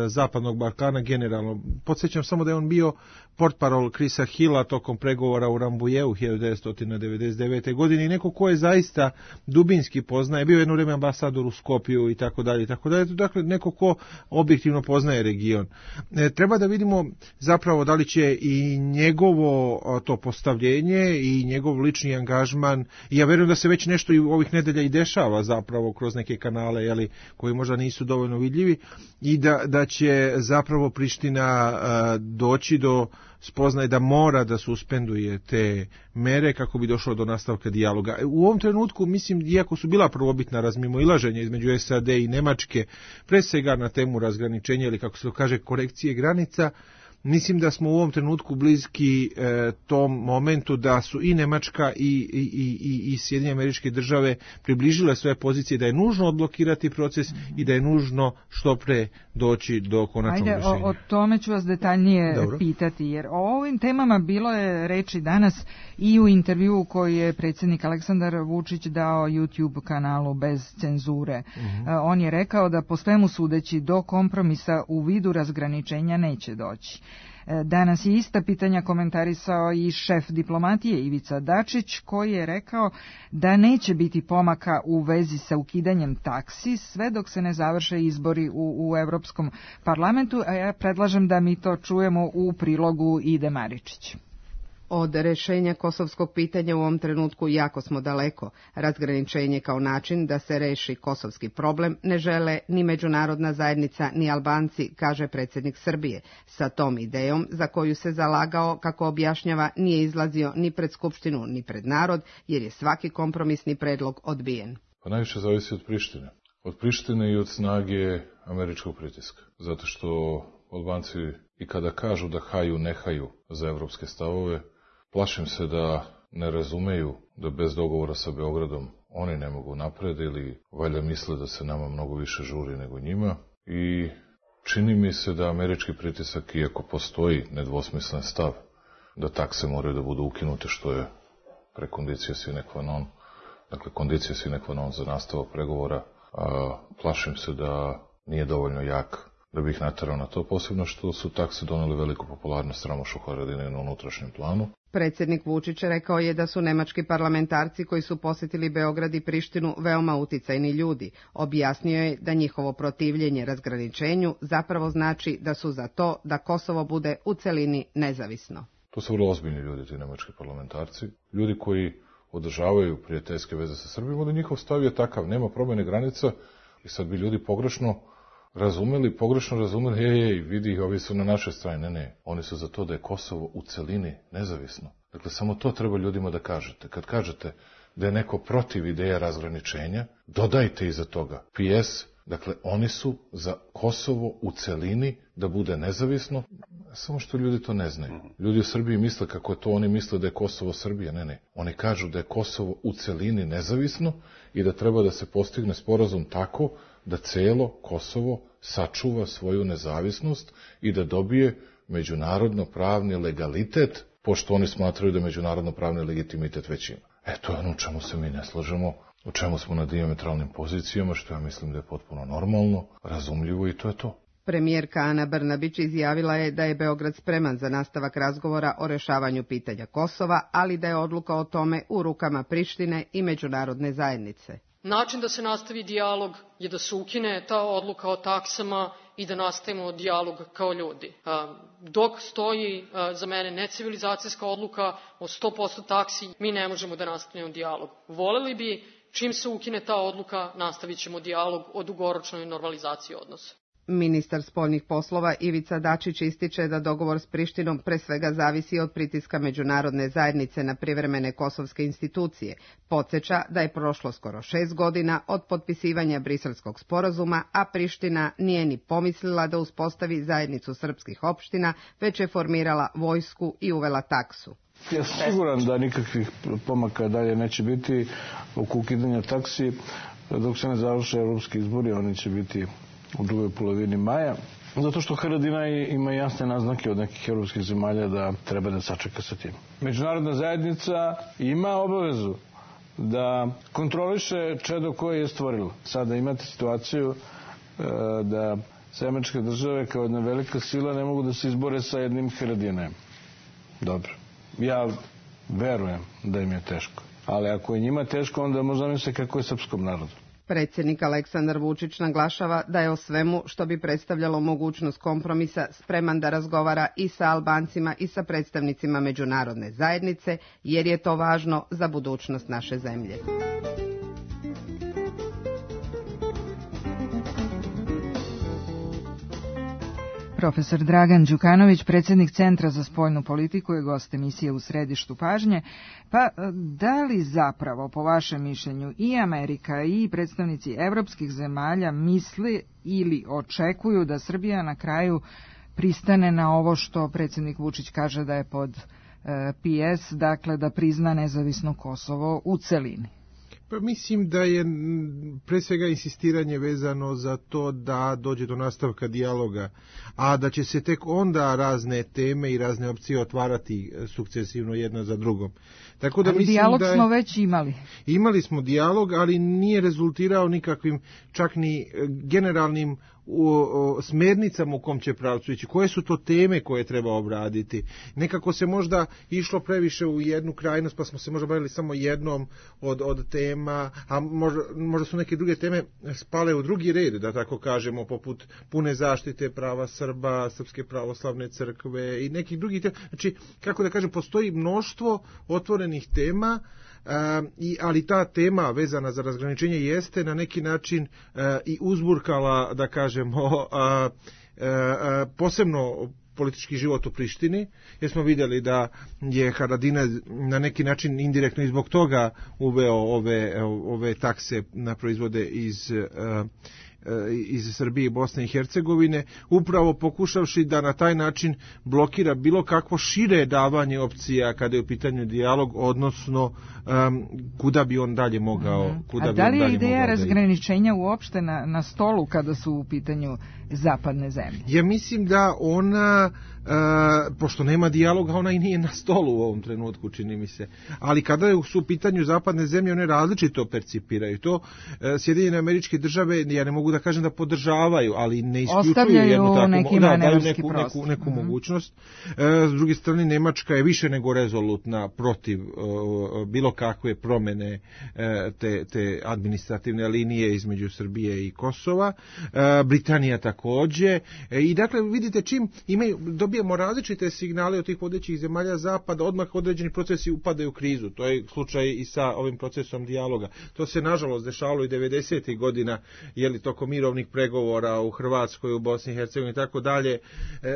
Zapadnog Balkana generalno. Podsjećam samo da je on bio portparol Chrisa Hilla tokom pregovora u Rambujeu hiljadu devetsto devedeset devete. godine i neko ko je zaista dubinski poznaje, bio je jedno vrijeme ambasador u Skopju i tako dalje i tako dalje. Dakle, neko ko objektivno poznaje region. E, treba da vidimo zapravo da li će i njegovo to postavljenje i njegov lični angažman, i ja vjerujem da se već nešto i ovih nedelja i dešava zapravo kroz neke kanale, jeli, koji možda nisu dovoljno vidljivi, i da, da će zapravo Priština a, doći do spoznaje da mora da suspenduje te mere kako bi došlo do nastavka dijaloga. U ovom trenutku, mislim, iako su bila prvobitna razmimoilaženja između S A D i Nemačke, pre svega na temu razgraničenja ili, kako se to kaže, korekcije granica, mislim da smo u ovom trenutku bliski e, tom momentu da su i Nemačka i, i, i, i Sjedinjene Američke Države približile svoje pozicije, da je nužno odblokirati proces i da je nužno što pre doći do konačnog rješenja.
Ajde, o, o tome ću vas detaljnije
Dobro.
pitati, jer o ovim temama bilo je reči danas i u intervjuu koji je predsjednik Aleksandar Vučić dao YouTube kanalu Bez cenzure. Mm-hmm. On je rekao da po svemu sudeći do kompromisa u vidu razgraničenja neće doći. Danas je ista pitanja komentarisao i šef diplomatije Ivica Dačić, koji je rekao da neće biti pomaka u vezi sa ukidanjem taksi sve dok se ne završe izbori u, u Evropskom parlamentu, a ja predlažem da mi to čujemo u prilogu Ide Maričić.
Od rešenja kosovskog pitanja u ovom trenutku jako smo daleko. Razgraničenje kao način da se reši kosovski problem ne žele ni međunarodna zajednica ni Albanci, kaže predsjednik Srbije. Sa tom idejom za koju se zalagao, kako objašnjava, nije izlazio ni pred Skupštinu ni pred narod, jer je svaki kompromisni predlog odbijen.
Pa najviše zavisi od Prištine. Od Prištine i od snage američkog pritiska. Zato što Albanci i kada kažu da haju, ne haju za evropske stavove, plašim se da ne razumeju da bez dogovora sa Beogradom oni ne mogu napred ili valjda misle da se nama mnogo više žuri nego njima. I čini mi se da američki pritisak, iako postoji nedvosmislen stav da takse moraju da budu ukinute, što je prekondicija sine qua non, dakle kondicija sine qua non za nastavak pregovora, a plašim se da nije dovoljno jak da bi ih naterao na to, posebno što su takse doneli veliku popularnost Ramošu Haradine na unutrašnjem planu.
Predsjednik Vučić rekao je da su nemački parlamentarci koji su posjetili Beograd i Prištinu veoma uticajni ljudi. Objasnio je da njihovo protivljenje razgraničenju zapravo znači da su za to da Kosovo bude u celini nezavisno.
To su vrlo ozbiljni ljudi, ti nemački parlamentarci. Ljudi koji održavaju prijateljske veze sa Srbijom, da njihov stav je takav, nema promjene granica i sad bi ljudi pogrešno razumeli, pogrešno razumeli, ej, ej, vidi, ovi su na našoj strani. Ne, ne, oni su za to da je Kosovo u celini nezavisno. Dakle, samo to treba ljudima da kažete. Kad kažete da je neko protiv ideja razgraničenja, dodajte iza toga P S, dakle, oni su za Kosovo u celini da bude nezavisno, samo što ljudi to ne znaju. Ljudi u Srbiji misle kako je to, oni misle da je Kosovo Srbija. Ne, ne, oni kažu da je Kosovo u celini nezavisno i da treba da se postigne sporazum tako da celo Kosovo sačuva svoju nezavisnost i da dobije međunarodno pravni legalitet, pošto oni smatraju da međunarodno pravni legitimitet već ima. E, to je ono u čemu se mi ne slažemo, u čemu smo na dijametralnim pozicijama, što ja mislim da je potpuno normalno, razumljivo i to je to.
Premijerka Ana Brnabić izjavila je da je Beograd spreman za nastavak razgovora o rešavanju pitanja Kosova, ali da je odluka o tome u rukama Prištine i međunarodne zajednice.
Način da se nastavi dijalog je da se ukine ta odluka o taksama i da nastavimo dijalog kao ljudi. Dok stoji za mene necivilizacijska odluka o sto posto taksi, mi ne možemo da nastavimo dijalog. Voleli bi, čim se ukine ta odluka, nastavit ćemo dijalog o dugoročnoj normalizaciji odnosa.
Ministar spoljnih poslova Ivica Dačić ističe da dogovor s Prištinom pre svega zavisi od pritiska međunarodne zajednice na privremene kosovske institucije. Podsjeća da je prošlo skoro šest godina od potpisivanja Briselskog sporazuma, a Priština nije ni pomislila da uspostavi zajednicu srpskih opština, već je formirala vojsku i uvela taksu.
Ja sam siguran da nikakvih pomaka dalje neće biti oko ukidanja taksi dok se ne završe evropski izbori, oni će biti u drugoj polovini maja, zato što Haradina ima jasne naznake od nekih evropskih zemalja da treba da sačeka sa tim. Međunarodna zajednica ima obavezu da kontroliše čedo koje je stvorilo. Sada imate situaciju da se američke države kao jedna velika sila ne mogu da se izbore sa jednim Haradinajem. Dobro. Ja verujem da im je teško. Ali ako je njima teško, onda možda misle kako je srpskom narodu.
Predsjednik Aleksandar Vučić naglašava da je o svemu što bi predstavljalo mogućnost kompromisa spreman da razgovara i sa Albancima i sa predstavnicima međunarodne zajednice, jer je to važno za budućnost naše zemlje.
Profesor Dragan Đukanović, predsjednik Centra za spoljnu politiku, je gost emisije U središtu pažnje. Pa da li zapravo, po vašem mišljenju, i Amerika i predstavnici evropskih zemalja misle ili očekuju da Srbija na kraju pristane na ovo što predsjednik Vučić kaže da je pod P S, dakle da prizna nezavisno Kosovo u celini?
Pa mislim da je pre svega insistiranje vezano za to da dođe do nastavka dijaloga, a da će se tek onda razne teme i razne opcije otvarati sukcesivno jedna za drugom. Tako da
ali
mislim
dijalog
da je,
smo već imali.
Imali smo dijalog, ali nije rezultirao nikakvim čak ni generalnim u, o, smernicama u kom će pravcu ići. Koje su to teme koje treba obraditi? Nekako se možda išlo previše u jednu krajnost, pa smo se možda bavili samo jednom od, od tema, a možda, možda su neke druge teme spale u drugi red, da tako kažemo, poput pune zaštite prava Srba, Srpske pravoslavne crkve i nekih drugih tema. Znači, kako da kažem, postoji mnoštvo otvorenih tema, Uh, i, ali ta tema vezana za razgraničenje jeste na neki način uh, i uzburkala, da kažemo, uh, uh, uh, posebno politički život u Prištini, jer smo vidjeli da je Haradinaj na neki način indirektno i zbog toga uveo ove, ove takse na proizvode iz uh, iz Srbije i Bosne i Hercegovine, upravo pokušavši da na taj način blokira bilo kakvo šire davanje opcija kada je u pitanju dijalog, odnosno um, kuda bi on dalje mogao. Kuda
A da li je ideja razgraničenja uopšte na, na stolu kada su u pitanju zapadne zemlje?
Ja mislim da ona, uh, pošto nema dijaloga, ona i nije na stolu u ovom trenutku, čini mi se. Ali kada su u pitanju zapadne zemlje, one različito percipiraju to. Uh, Sjedinjene Američke Države, ja ne mogu da kažem da podržavaju, ali ne isključuju jednu takvu, da, daju neku, neku, neku mm-hmm. mogućnost. Uh, s druge strane, Nemačka je više nego rezolutna protiv uh, bilo kakve promene uh, te, te administrativne linije između Srbije i Kosova. Uh, Britanija takođe. Uh, I dakle, vidite, čim imaju, dobijemo različite signale od tih vodećih zemalja zapada, odmah određeni procesi upadaju u krizu. To je slučaj i sa ovim procesom dijaloga. To se nažalost dešavalo i devedesetih godina, je li tokom mirovnih pregovora u Hrvatskoj, u Bosni i Hercegovini i tako dalje,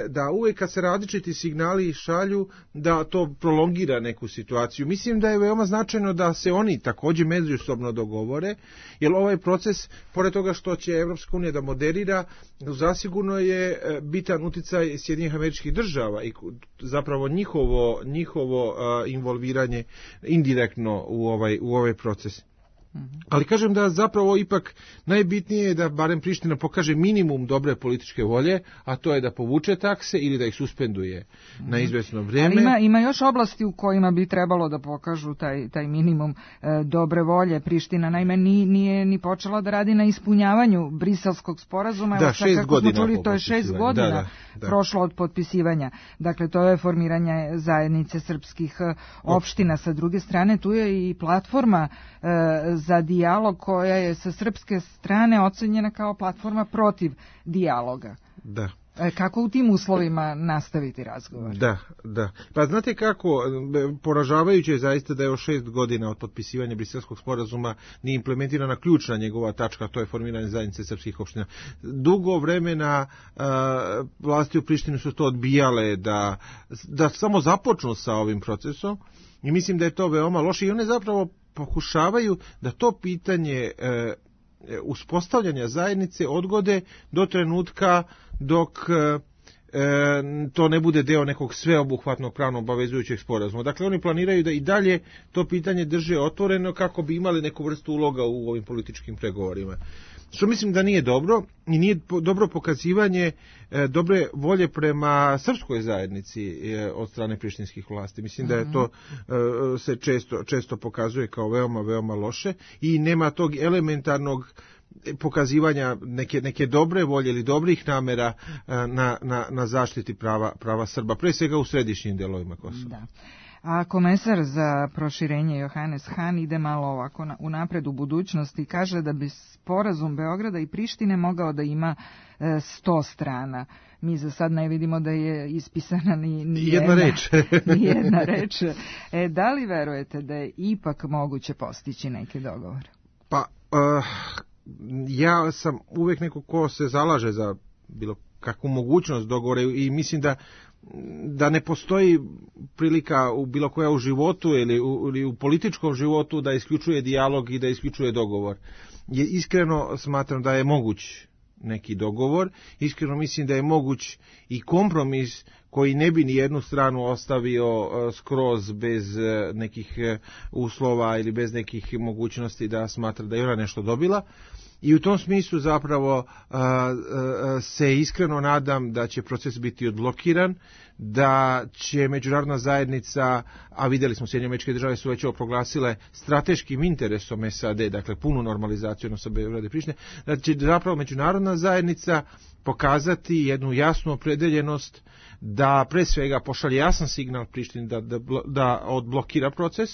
da uvijek kad se različiti signali šalju, da to prolongira neku situaciju. Mislim da je veoma značajno da se oni također međusobno dogovore, jer ovaj proces, pored toga što će Evropska unija da moderira, zasigurno je bitan uticaj Sjedinjenih Američkih Država i zapravo njihovo, njihovo uh, involviranje indirektno u ovaj, u ovaj proces. Ali kažem da zapravo ipak najbitnije je da barem Priština pokaže minimum dobre političke volje, a to je da povuče takse ili da ih suspenduje na izvesno vrijeme.
Ali ima, ima još oblasti u kojima bi trebalo da pokažu taj, taj minimum e, dobre volje. Priština naime ni, nije ni počela da radi na ispunjavanju Briselskog sporazuma.
Da,
Evo,
šest
kako
godina.
Smo čuli, to je šest godina
da, da, da.
prošlo od potpisivanja. Dakle, to je formiranje zajednice srpskih opština. Sa druge strane, tu je i platforma e, za dijalog koja je sa srpske strane ocenjena kao platforma protiv dijaloga.
Da.
Kako u tim uslovima nastaviti razgovor?
Da, da. Pa znate kako, poražavajuće je zaista da je o šest godina od potpisivanja Briselskog sporazuma nije implementirana ključna njegova tačka, to je formiranje zajednice srpskih opština. Dugo vremena uh, vlasti u Prištini su to odbijale da, da samo započnu sa ovim procesom i mislim da je to veoma loše i one zapravo pokušavaju da to pitanje e, uspostavljanja zajednice odgode do trenutka dok e, to ne bude deo nekog sveobuhvatnog pravno obavezujućeg sporazuma. Dakle, oni planiraju da i dalje to pitanje drže otvoreno kako bi imali neku vrstu uloga u ovim političkim pregovorima. Što mislim da nije dobro i nije dobro pokazivanje e, dobre volje prema srpskoj zajednici e, od strane prištinskih vlasti. Mislim da je to e, se često, često pokazuje kao veoma, veoma loše i nema tog elementarnog pokazivanja neke, neke dobre volje ili dobrih namera e, na, na, na zaštiti prava, prava Srba, pre svega u središnjim delovima Kosova.
Da. A komesar za proširenje Johannes Hahn ide malo ovako na, unapred u budućnosti i kaže da bi sporazum Beograda i Prištine mogao da ima e, sto strana. Mi za sad ne vidimo da je ispisana ni, ni jedna,
jedna reč.
ni jedna reč. E, da li verujete da je ipak moguće postići neki dogovor?
Pa, uh, ja sam uvijek neko ko se zalaže za bilo kakvu mogućnost dogovora i mislim da da ne postoji prilika u bilo koja u životu ili u, ili u političkom životu da isključuje dijalog i da isključuje dogovor. Je iskreno smatram da je moguć neki dogovor. Iskreno mislim da je moguć i kompromis koji ne bi ni jednu stranu ostavio skroz bez nekih uslova ili bez nekih mogućnosti da smatra da je ona nešto dobila. I u tom smislu zapravo a, a, se iskreno nadam da će proces biti odblokiran, da će međunarodna zajednica, a vidjeli smo Sjedinjene Američke Države su već ovo proglasile strateškim interesom S A D, dakle punu normalizaciju odnosa Beograda i Prištine, da će zapravo međunarodna zajednica pokazati jednu jasnu opredeljenost da pre svega pošalje jasan signal Prištini da, da, da odblokira proces,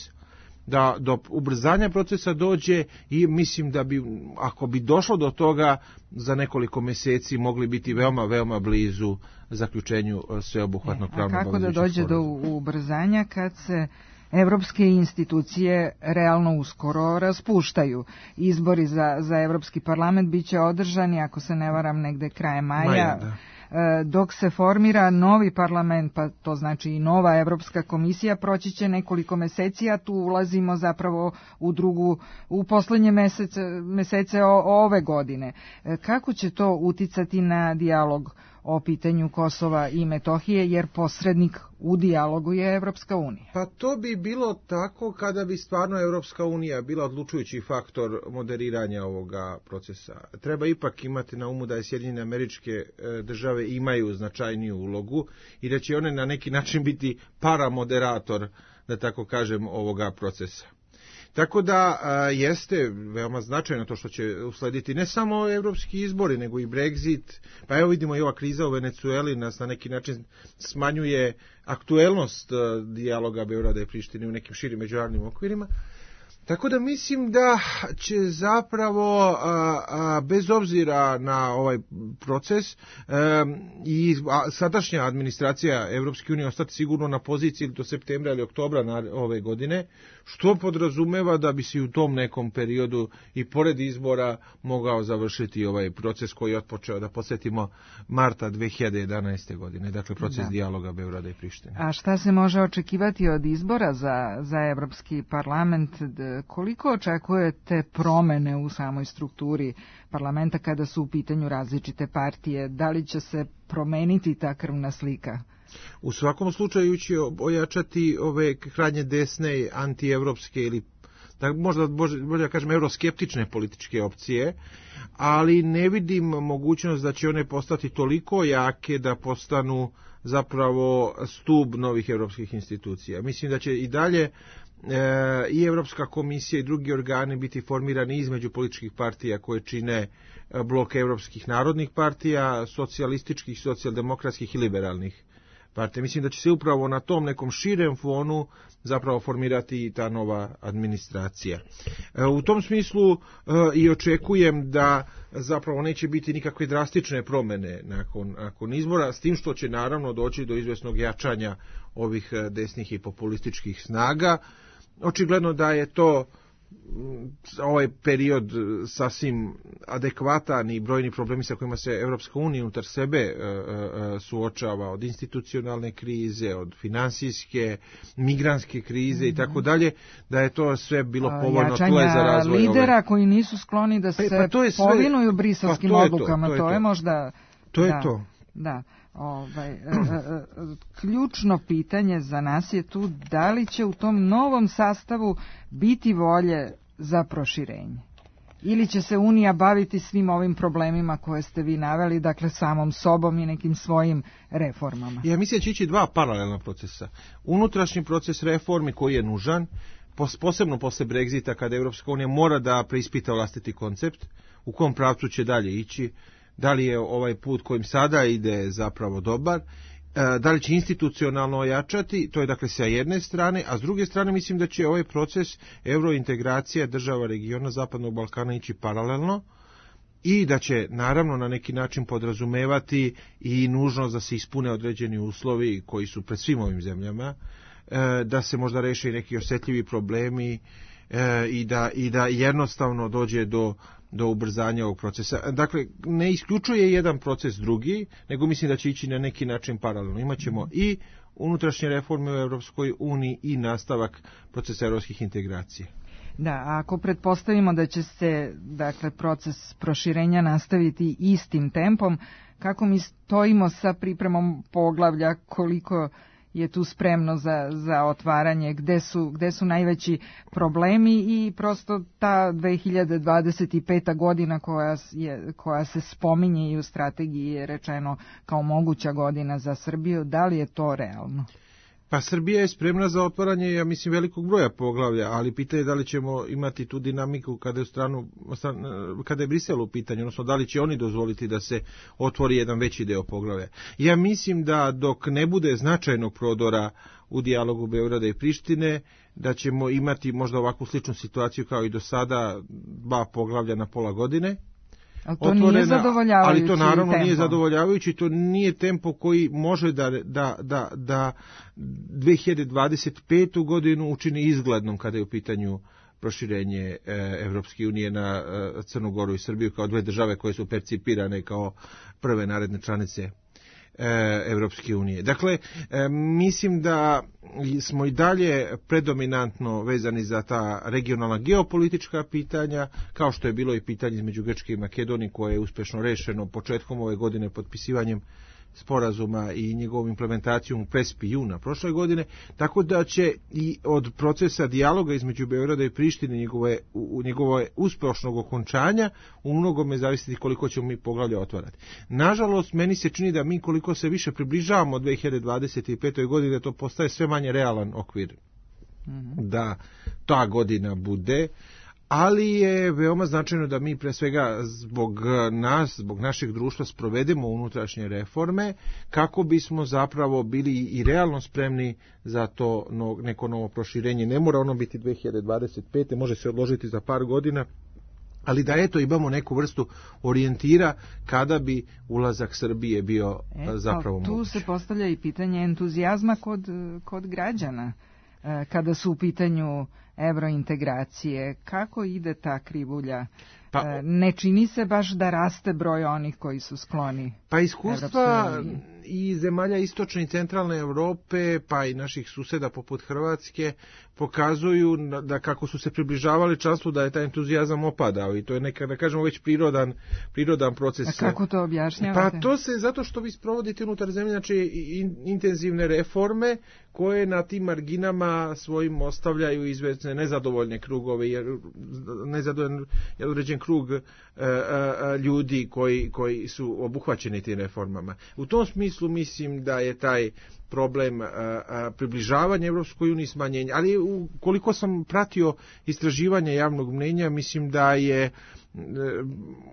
da do ubrzanja procesa dođe i mislim da bi, ako bi došlo do toga, za nekoliko mjeseci mogli biti veoma, veoma blizu zaključenju sveobuhvatnog pravnog
obavezujućeg sporazuma. A kako da dođe do ubrzanja kad se evropske institucije realno uskoro raspuštaju? Izbori za, za Evropski parlament bit će održani, ako se ne varam, negde krajem maja. Maja, da. Dok se formira novi parlament, pa to znači i nova Evropska komisija, proći će nekoliko meseci, a tu ulazimo zapravo u drugu, u poslednje mesece, mesece o, ove godine. Kako će to uticati na dijalog o pitanju Kosova i Metohije, jer posrednik u dijalogu je Evropska unija?
Pa to bi bilo tako kada bi stvarno Evropska unija bila odlučujući faktor moderiranja ovoga procesa. Treba ipak imati na umu da je Sjedinjene Američke Države imaju značajniju ulogu i da će one na neki način biti paramoderator, da tako kažem, ovoga procesa. Tako da a, jeste veoma značajno to što će uslediti ne samo evropski izbori, nego i Brexit. Pa evo vidimo i ova kriza u Venecueli nas na neki način smanjuje aktuelnost a, dijaloga Beograda i Prištine u nekim širim međunarodnim okvirima. Tako da mislim da će zapravo, a, a, bez obzira na ovaj proces, a, i a, sadašnja administracija Evropske unije ostati sigurno na poziciji do septembra ili oktobra na ove godine, što podrazumeva da bi se u tom nekom periodu i pored izbora mogao završiti ovaj proces koji je otpočeo, da podsjetimo, marta dve hiljade jedanaeste. godine, dakle proces da. dijaloga Beograda i Prištine.
A šta se može očekivati od izbora za, za Evropski parlament? Koliko očekujete promene u samoj strukturi parlamenta kada su u pitanju različite partije? Da li će se promeniti ta krvna slika?
U svakom slučaju će ojačati ove krajnje desne, antievropske ili da možda bolje da kažem euroskeptične političke opcije, ali ne vidim mogućnost da će one postati toliko jake da postanu zapravo stub novih europskih institucija. Mislim da će i dalje e, i Evropska komisija i drugi organi biti formirani između političkih partija koje čine blok evropskih narodnih partija, socijalističkih, socijaldemokratskih i liberalnih partija. Mislim da će se upravo na tom nekom širem fonu zapravo formirati i ta nova administracija. U tom smislu i očekujem da zapravo neće biti nikakve drastične promjene nakon, nakon izbora, s tim što će naravno doći do izvesnog jačanja ovih desnih i populističkih snaga. Očigledno da je to ovaj period sasvim adekvatan i brojni problemi sa kojima se Evropska unija unutar sebe suočava, od institucionalne krize, od finansijske, migrantske krize mm-hmm. i tako dalje, da je to sve bilo povoljno tle za razvoj
lidera
ove...
koji nisu skloni da se pa, pa sve... povinuju briselskim pa odlukama, to, to, je, to je možda...
To je
da,
to.
Da. Ovaj, ključno pitanje za nas je tu da li će u tom novom sastavu biti volje za proširenje. Ili će se Unija baviti svim ovim problemima koje ste vi naveli, dakle samom sobom i nekim svojim reformama?
Ja mislim da će ići dva paralelna procesa. Unutrašnji proces reformi koji je nužan, posebno posle Brexita kada Evropska unija mora da preispita vlastiti koncept, u kom pravcu će dalje ići, da li je ovaj put kojim sada ide zapravo dobar, da li će institucionalno ojačati, to je dakle sa jedne strane, a s druge strane mislim da će ovaj proces eurointegracije država regiona Zapadnog Balkana ići paralelno i da će naravno na neki način podrazumevati i nužnost da se ispune određeni uslovi koji su pred svim ovim zemljama, da se možda reše i neki osjetljivi problemi i da, i da jednostavno dođe do do ubrzanja ovog procesa. Dakle, ne isključuje jedan proces drugi, nego mislim da će ići na neki način paralelno. Imaćemo i unutrašnje reforme u Evropskoj uniji i nastavak procesa evropskih integracija.
Da, ako pretpostavimo da će se, dakle, proces proširenja nastaviti istim tempom, kako mi stojimo sa pripremom poglavlja, koliko je tu spremno za, za otvaranje, gde su, gde su najveći problemi i prosto ta dve hiljade dvadeset peta godina koja, je, koja se spominje i u strategiji je rečeno kao moguća godina za Srbiju, da li je to realno?
Pa Srbija je spremna za otvaranje, ja mislim, velikog broja poglavlja, ali pitanje je da li ćemo imati tu dinamiku kada je, stranu, kada je Brisel u pitanju, odnosno da li će oni dozvoliti da se otvori jedan veći deo poglavlja. Ja mislim da dok ne bude značajnog prodora u dijalogu Beograda i Prištine, da ćemo imati možda ovakvu sličnu situaciju kao i do sada, dva poglavlja na pola godine.
Ali to otvorena, nije zadovoljavajući
ali to naravno
tempo.
Nije zadovoljavajući, to nije tempo koji može da, da, da, da dve hiljade dvadeset petu godinu učini izglednom kada je u pitanju proširenje e, Evropske unije na e, Crnu Goru i Srbiju kao dve države koje su percipirane kao prve naredne članice Evropske unije. Dakle, mislim da smo i dalje predominantno vezani za ta regionalna geopolitička pitanja, kao što je bilo i pitanje između Grčke i Makedonije koje je uspešno rešeno početkom ove godine potpisivanjem sporazuma i njegovom implementacijom u Prespi juna prošle godine, tako da će i od procesa dijaloga između Beograda i Prištine njegove, u, njegove uspešnog okončanja u mnogome zavisiti koliko ćemo mi poglavlja otvarati. Nažalost, meni se čini da mi koliko se više približavamo dve hiljade dvadeset pete godine, to postaje sve manje realan okvir mm-hmm. da ta godina bude, ali je veoma značajno da mi pre svega zbog nas, zbog našeg društva sprovedemo unutrašnje reforme kako bismo zapravo bili i realno spremni za to no, neko novo proširenje. Ne mora ono biti dve hiljade dvadeset pete. može se odložiti za par godina, ali da eto imamo neku vrstu orijentira kada bi ulazak Srbije bio e, zapravo
tu
moguć.
Tu se postavlja i pitanje entuzijazma kod, kod građana kada su u pitanju evrointegracije. Kako ide ta krivulja? Pa, ne čini se baš da raste broj onih koji su skloni.
Pa iskustva i zemalja istočne i centralne Evrope, pa i naših suseda poput Hrvatske, pokazuju da kako su se približavali članstvu da je taj entuzijazam opadao i to je neka, da kažemo, već prirodan, prirodan proces.
A kako to objašnjavate?
Pa to se zato što vi sprovodite unutar zemlje, znači in, intenzivne reforme koje na tim marginama svojim ostavljaju izvesne nezadovoljne krugove, jer nezadovoljan je određen krug e, e, ljudi koji, koji su obuhvaćeni tim reformama. U tom smislu mislim da je taj problem a, a, približavanja Evropskoj uniji smanjenja, ali u, koliko sam pratio istraživanje javnog mnjenja, mislim da je e,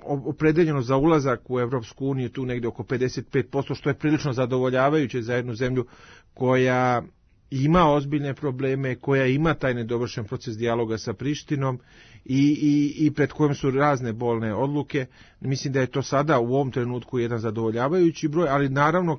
opredeljeno za ulazak u Evropsku uniju tu negde oko pedeset pet posto, što je prilično zadovoljavajuće za jednu zemlju koja ima ozbiljne probleme, koja ima taj nedovršen proces dijaloga sa Prištinom i, i, i pred kojom su razne bolne odluke. Mislim da je to sada u ovom trenutku jedan zadovoljavajući broj, ali naravno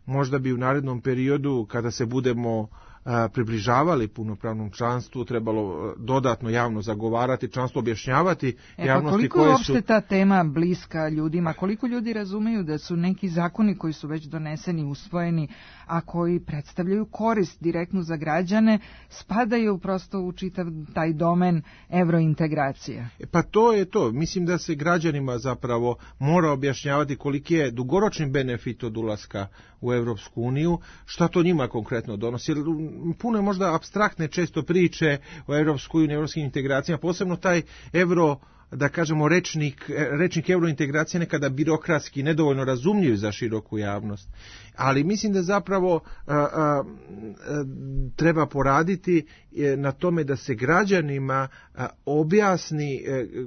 možda bi u narednom periodu kada se budemo a, približavali punopravnom članstvu trebalo dodatno javno zagovarati članstvo, objašnjavati
e,
javnosti
koliko
koje su...
Koliko je uopšte ta tema bliska ljudima? Koliko ljudi razumeju da su neki zakoni koji su već doneseni, usvojeni, a koji predstavljaju korist direktnu za građane, spadaju prosto u čitav taj domen evrointegracije?
E, pa to je to. Mislim da se građanima zapravo mora objašnjavati koliki je dugoročni benefit od ulaska u Evropsku uniju, šta to njima konkretno donosi. Puno je možda apstraktne često priče o Evropskoj uniji, evropskim integracijama, posebno taj evro, da kažemo, rečnik, rečnik evrointegracije nekada birokratski, nedovoljno razumljiv za široku javnost. Ali mislim da zapravo a, a, a, treba poraditi na tome da se građanima a, objasni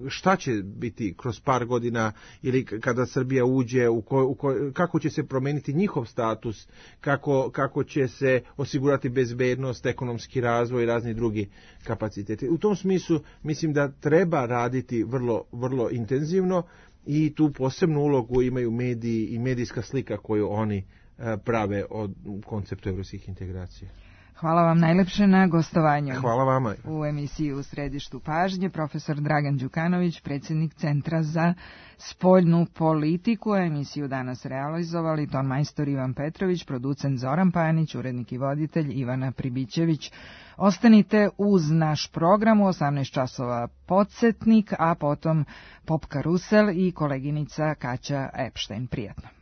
šta će biti kroz par godina ili kada Srbija uđe, u ko, u ko, kako će se promeniti njihov status, kako, kako će se osigurati bezbednost, ekonomski razvoj i razni drugi kapaciteti. U tom smislu mislim da treba raditi vrlo, vrlo intenzivno i tu posebnu ulogu imaju mediji i medijska slika koju oni prave od konceptu evropskih integracija.
Hvala vam najlepše na gostovanju.
Hvala vama.
U emisiji U središtu pažnje profesor Dragan Đukanović, predsjednik Centra za spoljnu politiku. Emisiju danas realizovali ton majstor Ivan Petrović, producent Zoran Panić, urednik i voditelj Ivana Pribićević. Ostanite uz naš program u osamnaest časova podsjetnik, a potom Pop Karusel i koleginica Kaća Epštajn. Prijatno.